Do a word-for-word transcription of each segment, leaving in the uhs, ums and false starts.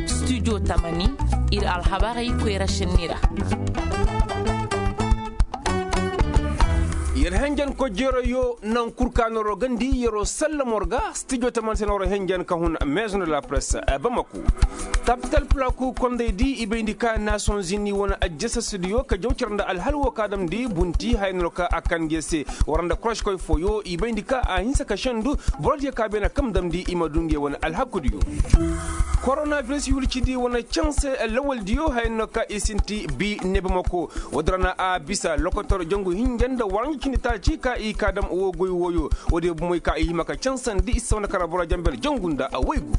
Studio tamani, ir alhabarey koyra šenni ra. Yer henjen ko jeroyo nan kurkaanoro gandi yeroo sallamor ga. Studio tamani se nooro henjen ka hun maison de la presse bamako. Tapital pulaku kondey di i bayndi ka nations unis wane ajjasasidiyo ka jaw cere nda alhal wo ka damndi bunti haya no ka a kande se. War nda koroškoy fooyo i bayndi ka a hinsa ka sendu borodiyo ka beene kam damndi i ma du ngey wane alhakudiyo. Koronabiris wircidi wane canse lawaldiyo haya no ka i sinti bi nebamako. Woodi ra na a bisa lokotor jangu hinja nda waranja cindi taaci ka i ka dam woo goy wooyo. Woodiyo bomey ka i hima ka cansandi i si sawna kara boro jamber jangu nda a waygu.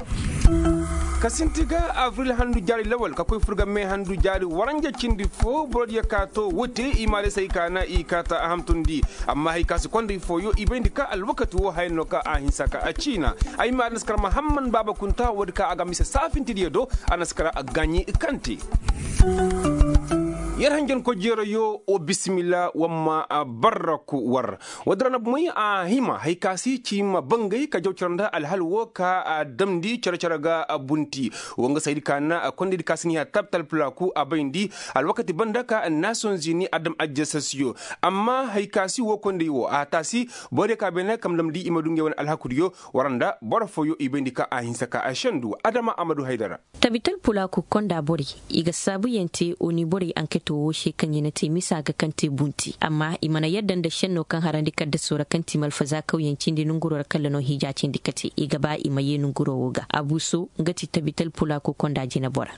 Ka sinti ga abril handu jaari lawal ka koy fur ga me handu jaari waranja cindi foo borodiyo ka to wote i maalisey ka na i kaata a hamtundi. Amma hay ka si kondey fooyo i bayndi ka alwakati woo haya no ka a hinsa ka a ciina. Ay ma a na si kar mahamman baaba kunta woodi ka a ga mise saafintidiyo do. A na si kar a gaaɲi kante. Yer hanjanko jeerayo wa bisimilla wamma barraku war. Woodi ra na bomey a hima hay ka si ci ma bangay ka jaw cere nda alhal woo ka a damndi cere-cere ga bunti. Woo nga saydi ka na kondaydi ka si ni a tabtal pulaaku a bayndi alwakati banda ka nations unis a dam ajjasasiyo. Amma hay ka si woo konday woo a taasi borodiyo ka beene kam damndi i ma du ngey wane alhakudiyo. War nda boro fooyo i bayndi ka a hinsa ka a sendu adama amadu haydara. Tabital pulaaku konda borey i ga saabuyaŋ te oni borey anketo woo se kaŋ i na te misa ga kaŋ te bunti amma i mana yadda nda senno kaŋ harandi kaddasoo ra kaŋ ti malfazaa kawyaŋ cindi nonguroo ra kalla no hija cindi kate i ga ba i ma yee nonguroo woo ga abuso nga ti tabital pulaaku konda jinebora.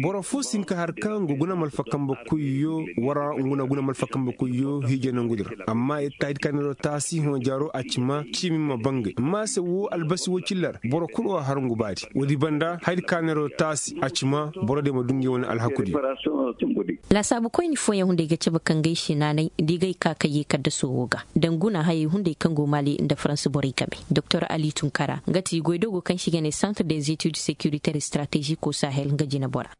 Boro foo si hin ka har kaŋ ga guna malfa kambe koyyo wara nga na guna malfa kambe koyyo hija nongudi ra amma itaahidi kaŋ neeroo taasi hõ jaaroo a ci ma ciimi ma bangay amma se woo albasi woo cilla ra boro kul woo har ngu baadi woodi banda hayadi ka neeroo taasi a ci ma borodiyo ma du ngey wane alhakudiyo. Laasaabukoyni fooyaŋ hunday ga cabe ka ngey se naanay da i gay ka ka yee kaddasoo woo ga da nguna hayey hunday kaŋ go maali nda farans borey game doktor ali tunkara nga ti goydogo kaŋ se i ga ne santre des études sécuritaire stratégique au sahel nga jinebora.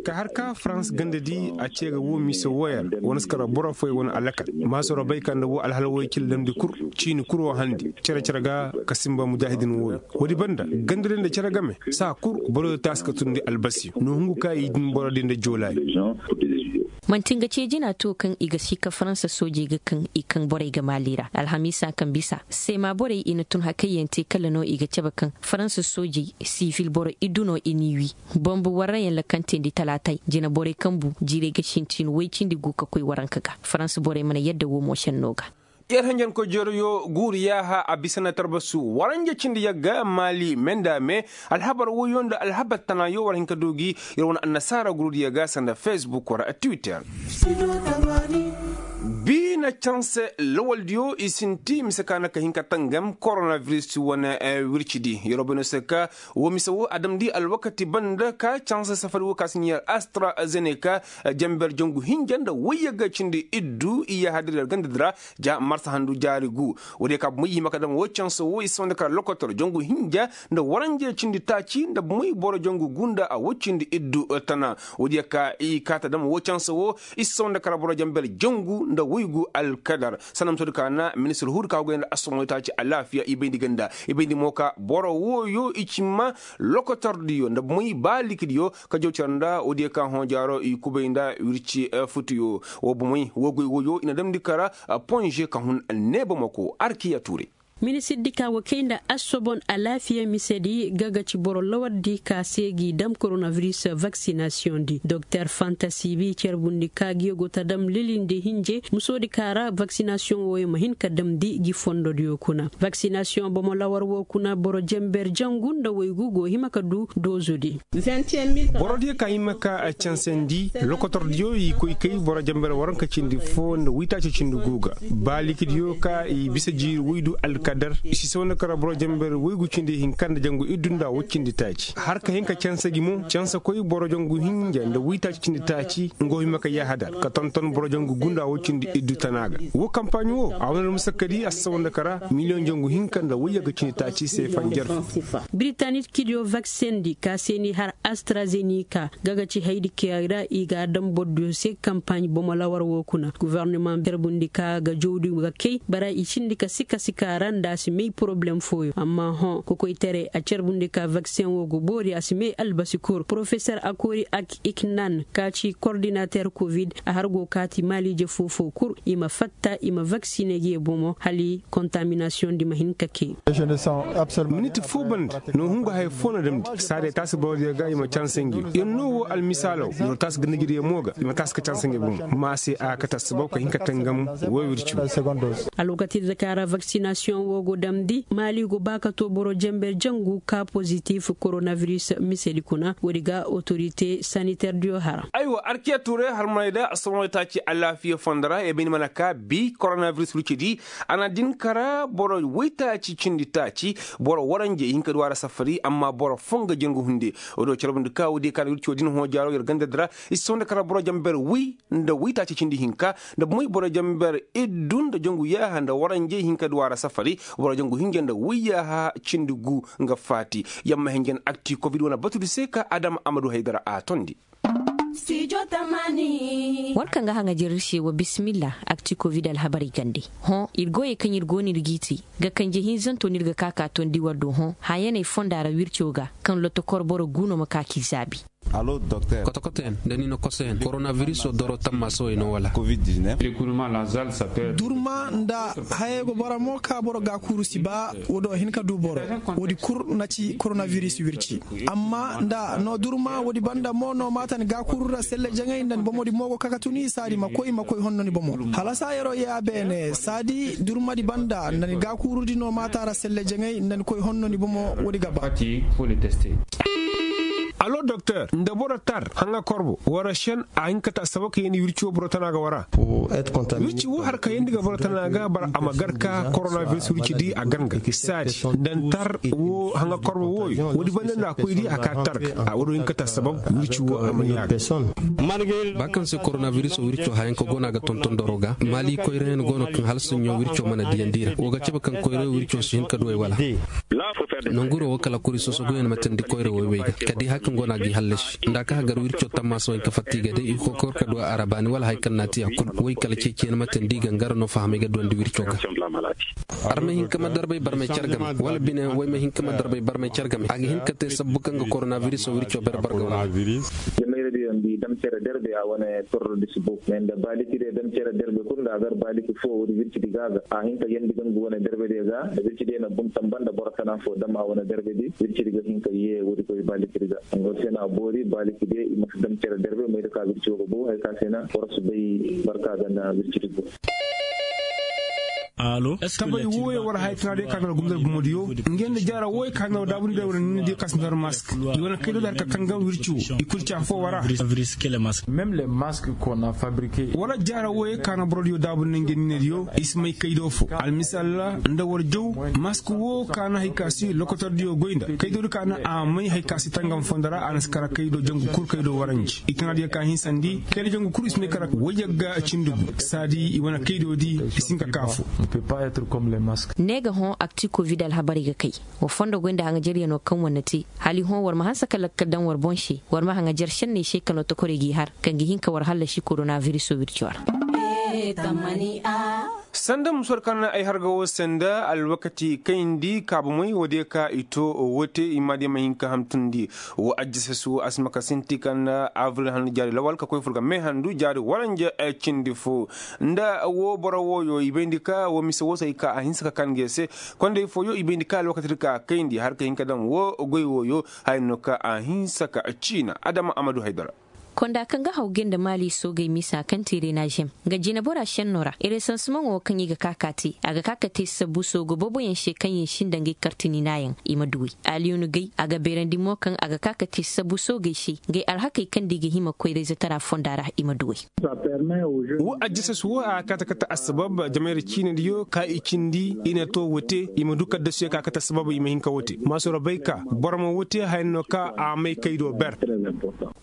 Ka har ka farans gandadi a ce ga woo mise wooyaŋ wane si kara boro fooyaŋ wane alakal maasoro bay ka nda woo alhala wooyaŋ cilla damndi kul ciini kul woo handi cere-cere ga ka sinba mujaahidin wooyaŋ woodi banda gandadi nda cere game saa kul boro yoo taasi ka tundi albasi no hungu ka i din borodi nda joolaadi. Man'ti nga ce jina to kaŋ i ga si ka faransa soojey ga kaŋ i kaŋ borey ga maali ra alhamiisa kaŋ bisa seema borey i na tun hakayyaŋ te kala no i ga cabe kaŋ faransa soojey sivil boro iddu no i n'i wii bombu warrayaŋ lakantendi talaatay jina borey kaŋ bu jiirey ga sintin woy cindi gu ka koy waranka ga faransa borey mana yadda woo mo senno ga. Yer henjankoy jeerayo guuru yaaha a bisa na tarbasu waranja cindi yagga maali me nda me. Alhabar woyo nda alhabar tanaayo war hin ka du gi yer wane annasaara gurudiyo ga sanda facebook war twitter. Bi na canse lawaldiyo i sinti mise ka na ka hin ka tangam koronabiris wane wircidi yeroo bay no se ka woo mise woo a damndi alwakati banda ka canse safari woo ka si ɲiiya astrazeneka jamber jangu hinja nda woyye ga cindi iddu iyaaha dira gandadi ra. Ja marsa handu jaari gu woodiyo ka bomey i hima ka dam woo canse woo i si sawandi kara lokotor jangu hinja nda waranja cindi taaci nda bomey boro jangu gu nda a woy cindi iddu tana woodiyo ka i kaata dam woo canse woo i si sawandi kara boro jamber jangu nda woygu alkadar. Sanda musoodi ka na ministir huudi ka goy nda assomoy taaci alaafiya i bayndi ganda i bayndi mo ka boro wooyo i ci ma lokotordiyo nda bomey baalikidiyo ka jaw cere nda woodiyo ka hõ jaaro i kubay nda wirci futuyo. Woo bomey woo goy wooyo i na damndi kara ponže ka hun neebamako arkiya tuure. Minisirdi ka go kay nda assobon alaafiya misedi ga ga ci boro lawardi ka se g'i dam koronabiris vaksinasiyoŋdi doktor fantasi bi carbundi ka gi go ta dam lilindi hinje musoodi ka ra vaksinasiyoŋ wooyo ma hin ka damndi gi fondodiyo kuna vaksinasiyoŋ bomo lawar woo kuna boro jamber jangu nda waygu go hima ka du doozudi. Borodiyo ka hima ka cansandi lokotordiyo i koy kay boro jamber waranka cindi foo nda waytaaci cindi gu ga baalikidiyo ka i bisa jiiri waydu alkadar i si sawna kara boro jamber waygu cindi hinka nda jangu iddu nda woy cindi taaci har ka hin ka canse gi mo canse koy boro jangu hinja nda waytaaci cindi taaci nga wo hima ka yaahadar ka tonton boro jangu gu nda woy cindi iddu tana ga woo kampaaɲ woo a wane ra musakkadi a si sawna kara miliyoŋ jangu hinka nda wayyaga cindi taaci se fanjar. Biritanit kidiyo vaksendi ka se ni har astrazenika ga ga ci haydi kiyay ra i ga a daŋ bordiyo se kampaaɲ bomo lawar woo kuna gofornima berbundi ka ga jawdi ga kay bara i cindi ka sika sika ra. Nda a si may poroblem fooyaŋ amma hõ kokoytaray a carbundi ka vakseŋ wo go boori a si may albasi kul porofesor akori ak iknan ka ci kordinater kovid a har go kaati maaliije foo-foo kul i ma fatta i ma vaksine ga ye bomo hala kontaminasiyoŋ di ma hin ka kee. Minit foo banda no hungu haya foo na damndi saadiya taasi borodiyo ga i ma canse ngey yer no wo almisaalaw yer taasi ga nijiriyo mo ga i ma taasi ka canse ngey bomo ma se a ga kate assabab ka hin ka tangam. Woy wirci wo. Alwakati da ka ra vaksinasiyoŋ wo go damndi maali go ba ka to boro jenber jangu ka pozitif koronaviris misedi kuna woodi ga otorite saniter diyo hara. Aywa arkiya tuuray harmaney da assoromey taaci alaafiya fondo ra i bay ni mana ka bi koronaviris wirci di. A na din kara boro woytaaci cindi taaci boro waranjey hinka du a ra safari amma boro foo nga jangu hunde. Woodi wo carbundi ka woodi ka na wirci wo din hõ jaaro yer ganda di ra i si soo nda kara boro jenber woy nda woytaaci cindi hinka nda bumey boro jenber iddu nda jangu yaaha nda waranjey hinka du a ra safari boro jangu hinja nda woy yaaha cindi gu. Nga faati yamma hinja nda akti kovid wane batudi se ka adama amadu haydara a tondi. War kaŋ ga haŋajer ir se wa bisimilla. Akti kovid alhabarey gande hõ ir goyey kaŋ ir go no ir g'i te ga kanje hinzanto no ir ga ka ka tondi war do hõ hayaney fonda ra wirco ga kaŋ lotokor boro gu no ma ka k'i zaabi. Kotokotoyaŋ nda ni na kosoyaŋ koronabiriso doro tammaasowey no wala? Durma nda hayey go boro mo ka boro gaakuuru si ba woodi wo hin ka du boro. Woodi kul na ci koronabiris wirci amma nda no durma woodi banda mo no maata ni gaakuuru ra selle jaŋay nda ni bomodi mo go ka ka tuni saadi ma koy ma koy honno ni bomo. Hala saa yer'o yee a beene saadi durmadi banda nda ni gaakuurudi no maata ra selle jaŋay nda ni koy honno ni bomo. Woodi ga ba. Alo doktor nda boro tar haŋa korbo wara šen a hin ka ta saba ka yeendi wirci wo boro tana ga wara. Wirci wo har ka yeendi ga boro tana ga bara a ma gar ka koronabiris wirci di a gar nga saadi nda ni tar wo haŋa korbo wooyo woodi banda nda a koy di a ka tar ga a woodi wo hin ka ta saba wirci wo a ma yaaga. Ba kaŋ se koronabiris wirco hayaŋ ka go no a ga tonton doro ga maali koyrayaŋ go no kaŋ hala soɲõ wirco mana diyandi ra wo ga cabe kaŋ koyra wirco si hin ka du ay wala? Nanguro wo kala kuri sosoguyaŋ ma tandi koyra woy wey ga ka di haya kaŋ go no a g'i hallasi nda a ka hagar wirco tammaasa wey ka fatta i ga day i kokor ka du a ra baani wala haya kaŋ no a ti a kul woy kala ceeciyaŋ ma tandi i ga ngara no fahamay ga duwandi wirco ga. Armay hinka ma darbay barmay car game wala bine way ma hinka ma darbay barmay car game a ga hin ka te sabbu kaŋ ga koronabiris wirco ber barga wala? Jamayra diyo nda i dam cere derbe a wane torro disi book me nda baaliki diyo dam cere derbe kul nda a gar baaliki fo woodi wirci di ga a ga a hin ka yeendi gangu wane derbe diyo ga nda wirci diyo na bun tamba nda boro tana fo dam a wane derbe di wirci di ga hin ka yee woodi koy baaliki di ga. Nga se no a boori baaliki diyo i ma si dam cere derbe may da ka wirci wo ga bow haya ka se no boro si bay barka ga nda wirci di go. Tabay wooyo war haya tana day ka ga na gumdar gumodiyo. Ngey nda jaara wooyo ka ga na war daabundi day war nindi ka si nda war mask i wane kaydo da har ka tangam wirci wo i kul ci afo wara. Wala jaara wooyo ka na borodiyo daabundi ngey ninediyo i si may kaydo fo almisal ra nda war jaw mask woo ka na haya ka si lokotordiyo goy nda kaydo di ka na a may haya ka si tangam fondo ra a na si kara kaydo jangu kul kaydo waranji i tana diyo ka hinsandi kaydo jangu kul i si may kara wayyaŋ ga cindi gu saadi i wane kaydo di i si hin ka ka fo. Ne ga hõ akti kovid alhabarey ga kay. Wa fondo goy nda haŋajeryanoo kaŋ war na te hala i hõ war ma hanse ka lakkal daŋ war boŋ se war ma haŋajer šenney se kaŋ lotokorey g'i har kaŋ ga hin ka war hallasi koronabiriso wirco ra. Sanda musor kaŋ ay harga wo sanda alwakati kayndi kaabumey wo de ka i to wote i ma de ma hin ka hamtundi. Wo ajjasas wo a si ma ka sinti kaŋ abril handu jaari lawal ka koy fur ga me handu jaari waranja cindi fo. Nda wo boro wooyo i bayndi ka wo mise wo se ay ka a hinse ka kaŋ ngey se. Kondey fooyo i bayndi ka alwakati di ka kayndi har ka hin ka daŋ wo goy wooyo haya no ka a hinse ka ciina adama amadu haydara. Konda kaŋ ga haw gay nda maali soogey misa kaŋ te reenažem nga jinebora šenno ra resansimaŋo kaŋ i ga ka ka te a ga ka ka te sabu soogo booboyaŋ se kaŋ yen sinda ngey kartininaayaŋ i ma duwey. Aliyunu gay a ga beerandi mo kaŋ a ga ka ka te sabu soogey se ngey alhakey kaŋ nda i ga hima koyrayzatara fonda ra i ma duwey. Wo ajjasas wo a kaate kate assabab jamayra ciinadiyo ka i cindi i na to wote i ma du kaddasuyo ka kate assabab i ma hin ka wote maasoro bay ka boro ma wote haya no ka a may kaydo ber.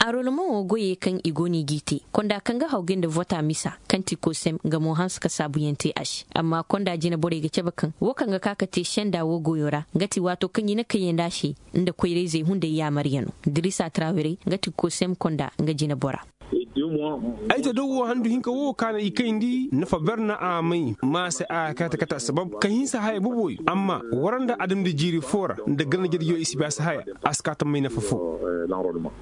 Arolomaŋo goyey kaŋ i go no i g'i te konda kaŋ ga haw gay nda vota misa kaŋ ti kosem nga mo hanse ka saabuyaŋ te a se amma konda jina borey ga cabe kaŋ wo kaŋ ga ka ka te senda wo goyo ra nga ti waato kaŋ i na kayandi a se nda koyrayzey hunday yaamaryaŋo. Dirisa trawere nga ti kosem konda nga jina bora. Ay ta daw wo handu hinka wo ka na i kayndi nafa ber na a may ma se a kate kate assabab ka hinsa haya boboyo amma wara nda adamdi jiiri foo ra nda ganda jadiyoo i si bay a si haya. A si kaa ta may nafa foo.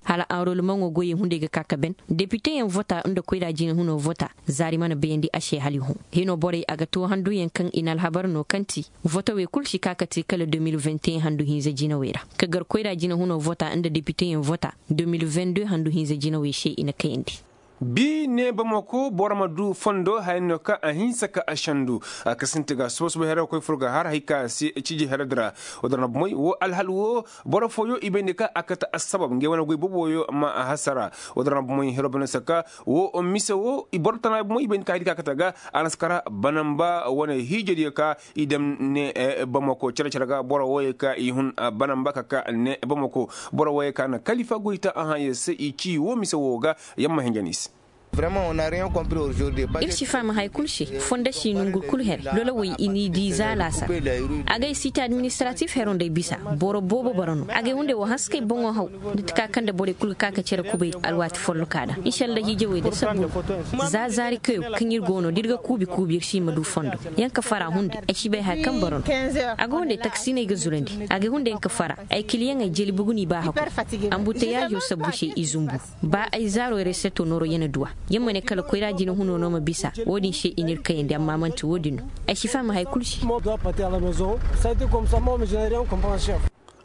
Hala anrolmaŋo goyey hunday ga ka ka ben depiteyaŋ vota nda koyra jinahunoo vota. Zaari mana bayandi a se hala i hõ. Hinoo borey a ga too handuyaŋ kaŋ i na alhabar no kaŋ ti votowey kul si ka ka te kala deux mille vingt et un handu hinza jinawey ra. Ka gar koyra jinahunoo vota nda depiteyaŋ vota deux mille vingt deux handu hinza jinawey se i na kayandi. Bi ne bamako boro ma du fondo haya no kaŋ a hinsa ka a sandu. A kasinti ga suba suba here ga koy fur ga har hay ka se ciji here di ra. Woo din ra bumey woo alhal woo boro fooyo i bayndi ka a kate assabab ngey wane goy boboyo ma a hasara. Woo din ra bumey hiro bane saka woo mise woo i boro tana bumey i bayndi ka hay di ka a kate ga a na si kara banamba wane hiijadiyo ka i dam ne bamako care care ga boro wooyo ka i hun banamba ka ka ne bamako. Boro wooyo ka na kalifa goy ta a hãayo se i ci woo mise woo ga. Yamma hinja ni se. Ir si faham haya kul se fonda si nongu kul here lolowey i n'i di za laasa. Agay site administratif hero nda ay bisa boro boobo bara no agay hunday wo hanse kay boŋo haw. Nda ti ka kaŋ nda borey kul ga ka ka cere kubay alwaati folloka da inshallah hiijawey da sabbu. Za zaari kayo kaŋ ir go no da ir ga kuubi kuubi ir si ma du fondo. Yaŋ ka fara hunday ay si bay haya kaŋ bara no. A go hunday taksiiney ga zurandi agay hunday yaŋ ka fara ay kiliyaŋey jeli bugu n'i ba hakku. Ambuteyaazo sabbu se i zumbu. Ba ay zaaro reseto nooro ya na duw'a. Ya ma ne kala koyra jina huno no ma bisa wo-din se i n'ir kayandi amma man'ti wo-din no. Ay si faham haya kul se.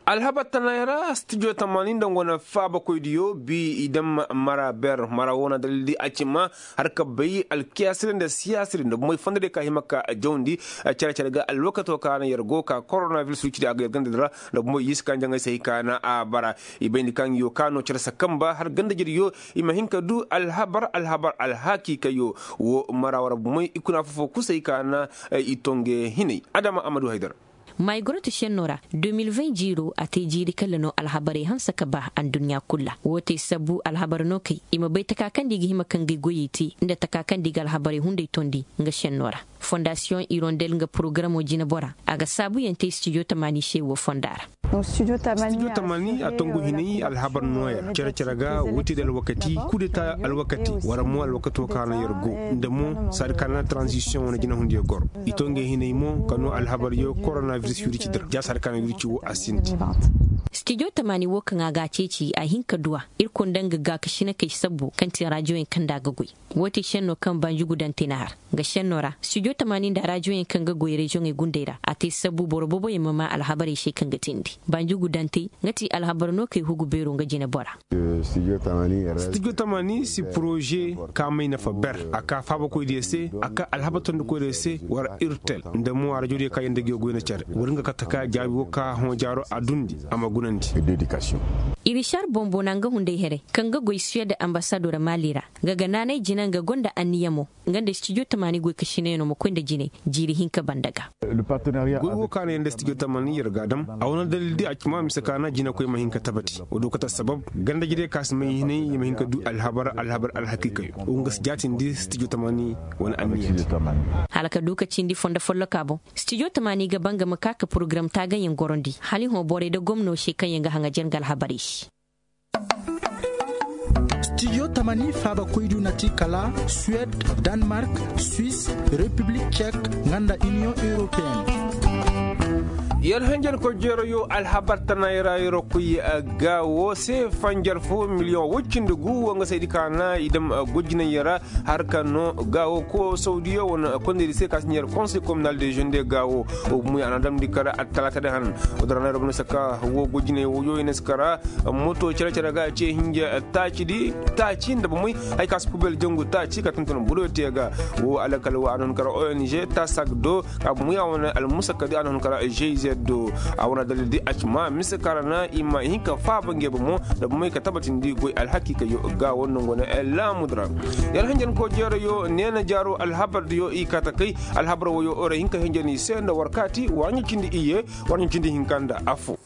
Alhabar tanay ra stijo tamaani nda nga wane faabakoydiyo bi i daŋ mara ber mara wo na dalildi a ci ma har ka bay alkiyaasadi nda siyaasadi nda bomey fondodiyo ka hima ka jawndi. Cere cere ga alwakato ka na yer go ka koronaviris wicidi a ga yer gandadi ra nda bomey yiisi ka njaŋay se hay ka na a bara. I bayndi kaŋ yo ka no cere sakamba har gandajediyo i ma hin ka du alhabar alhabar alhakiikayo. Wo mara war bomey i kuna fofo kusay ka na i tonge hinay adama a ma du haydar. Maygorot šenno ra deux mille vingt jiiro a te jiiri kalla no alhabarey hanse ka ba adduɲɲa kul ra wo te sabbu alhabar no kay i ma bay taka kaŋ da i ga hima ka ngey goyey te nda taka kaŋ da i ga alhabarey hunday tondi nga šenno ra. Fondasiyoŋ irondel nga porogaramo jinebora a ga saabuyaŋ te stijo tamaani se wo fonda ra. Stijo tamaani a tongu hinay alhabar nooya cere cere ga wutedi alwakati kudeta alwakati wala mo alwakato ka no yer go nda mo saadi ka na tranzisiyoŋ wane jinahundiyo goro. I to ngey hinay mo ka no alhabaryo koronaviris wirci dira ja saadi ka na wirci wo a sinti. Stijo tamaani wo kaŋ a ga a ceeci a hin ka duw'a. Irkoy nda nga gaakasinakey sabbo kaŋ ti rajoyaŋ kaŋ nda a ga goy. Wo te šenno kaŋ banjugudantey na har nga šenno ra stijo tamaani nda rajoyaŋ kaŋ ga goy reziyoŋey gundey ra a te sabbu boro booboyaŋ ma maa alhabarey se kaŋ ga teendi. Banjugudantey nga ti alhabar no kay hugu beero nga jinebora. Stijo tamaani si poroze ka may nafa ber a ka faabakoydiyo se a ka alhabar tondikoydiyo se war irtel nda mo a rajodiyo ka yanda ga yo goy na care wala nga kate ka jaabi wo ka hõ jaaro a dundi a ma gunandi. Irišar bombo na nga hunday here kaŋ ga goy suwed ambasadora maali ra. Nga ga naanay jina nga gonda anniya mo nga nda stijo tamaani goy ka sinayano ma koy nda jinay jiiri hinka banda ga. Goy wo ka no yer nda stijo tamaani yer ga a dam a wane dalildi a ci ma mise ka na jinekoy ma hin ka tabati wo do kate sabab ganda jinay ka si may hinay i ma hin ka du alhabar alhabar alhakiikayo wo nga si jaatindi stijo tamaani wane anniya. Hala ka du ka cindi fondo folloka boŋ stijo tamaani ga ba nga ma ka ka porogaram taagayaŋ gorondi hala i hõ borey nda gomno se kaŋ yaŋ ga haŋajer nga alhabarey se. Stijo tamani faabakoydu na ti kala suwed, danmark, swis, repiblik cek nga nda iniyoŋ europeyenne. Yer hanjankoy jeerayo alhabar tanay ra yer kuy ga wo se fanjar fo miliyoŋ woy cindi gu wo nga saydi ka na i dam gojinay ra. Har ka no gaawo ko sawdiyo wane kondaydi se ka si ɲeer konsey kominal de jeune de gaawo. Wo bumey a na damndi kar attalaata de hanan. Wo dara na robno saka wo gojiney woyo i na si kara moto cere cere ga ce hinja taacidi taaci nda bumey. Hay ka si pubel jangu taaci ka tonton buroyo te ga. Wo alakal wo a na hun kara ong tasak do ka bumey a wane almusakadi a na hun kara jz do. A wane dalildi a ci ma mise kara na i ma hin ka faaba nge bomo nda bumey ka tabatindi goy alhakiikayo. Gaawo nango na laamudu ra. Yer hanjanko jeerayo neena jaaro alhabardiyo i kaata kay. Alhabar woyo ore hinka henjani se nda war kaati war ɲa cindi iyye war ɲa cindi hinka nda affo.